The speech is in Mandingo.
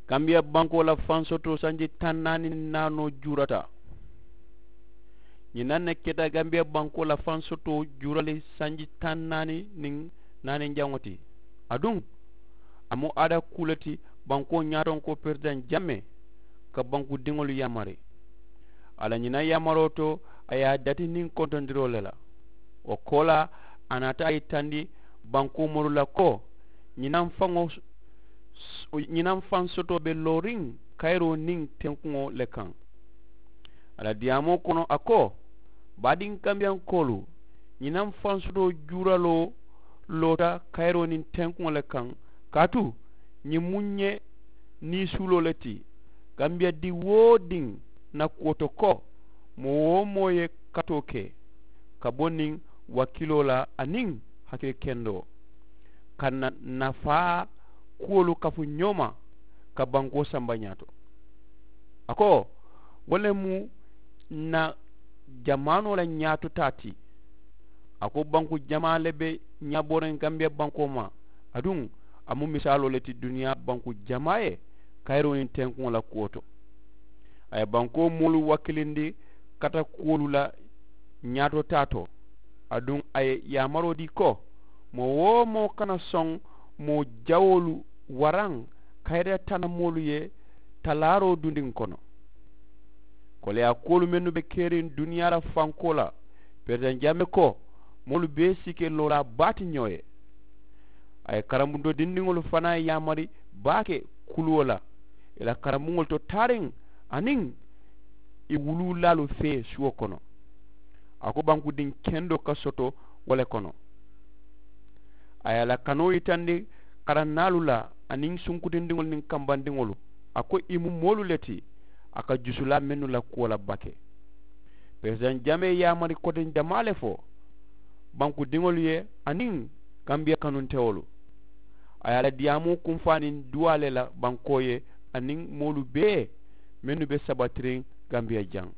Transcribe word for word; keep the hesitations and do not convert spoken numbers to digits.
Gambiya bankoo la fansotoo sanji taŋ naani naanoo juurata. Ñiŋ na ne keta gambiya bankoo la fansotoo juurali sanji taŋ naani niŋ naani jaŋo ti. Aduŋ a mu ada kuu le ti bankoo ñaatonkoo peresidaŋ jammee ka banku diŋolu yaamari. A la ñiŋ na yaamaroo to a ye a dati niŋ kontondiroo le la. Wo koolaa a naata a yitandi bankoo moolu la ko ñinaŋ faŋo ñinaŋ faŋ sotoo be looriŋ kayiroo niŋ tenkuŋo le kaŋ. A la diyaamoo kono a ko baadiŋ kambiyankoolu ñinaŋ faŋ sotoo juuraloo loota kayiroo niŋ tenkuŋo le kaŋ. Kaatu ñiŋ mu ñe niisuuloo le ti. Kambiya diŋ woo diŋ na kuwo to ko moo woo moo ye katoo ke ka bo niŋ wakiiloo la aniŋ hakili kendoo ka na nafaa kuwolu kafu ñooma ka bankoo samba ñaato. A ko wo le mu na jamaanoo la ñaato taa ti. A ko banku jamaa le be ñaabooriŋ gambiya bankoo ma. Aduŋ a mu misaaloo le ti duniyaa banku jamaa ye kayiroo niŋ tenkuŋo la kuwo to. A ye bankoo moolu wakilindi kata kuwolu la ñaato taa to. Aduŋ a ye yaamaroo dii ko moo woo moo kana soŋ moo jawoolu waraŋ kayira tana moolu ye talaaroo dundiŋ kono. Koleyaa kuwolu mennu be keriŋ duniyaa la fankoo la peresidaŋ jammee ko moolu bee si ke loolaa baa ti ñoo ye. A ye karambundo dindiŋolu fanaa yaamari baake kuluwo la ì la karambuŋolu to taariŋ aniŋ ì wuluulaalu fee suwo kono. A ko bankudiŋ kendoo ka soto wo le kono. A ye a la kanoo yitandi karannaalu la aniŋ sunkutindiŋolu niŋ kambandiŋolu. A ko ì mu moolu le ti a ka jusulaa mennu la kuwo la baake. Peresidaŋ jamee yaamari koteŋ jamaa le fo bankudiŋolu ye aniŋ gambiya kanuntewolu. A ye a la diyaamoo kunfaaniŋ duwaa le la bankoo ye aniŋ moolu bee mennu be sabatiriŋ gambiya jaŋ.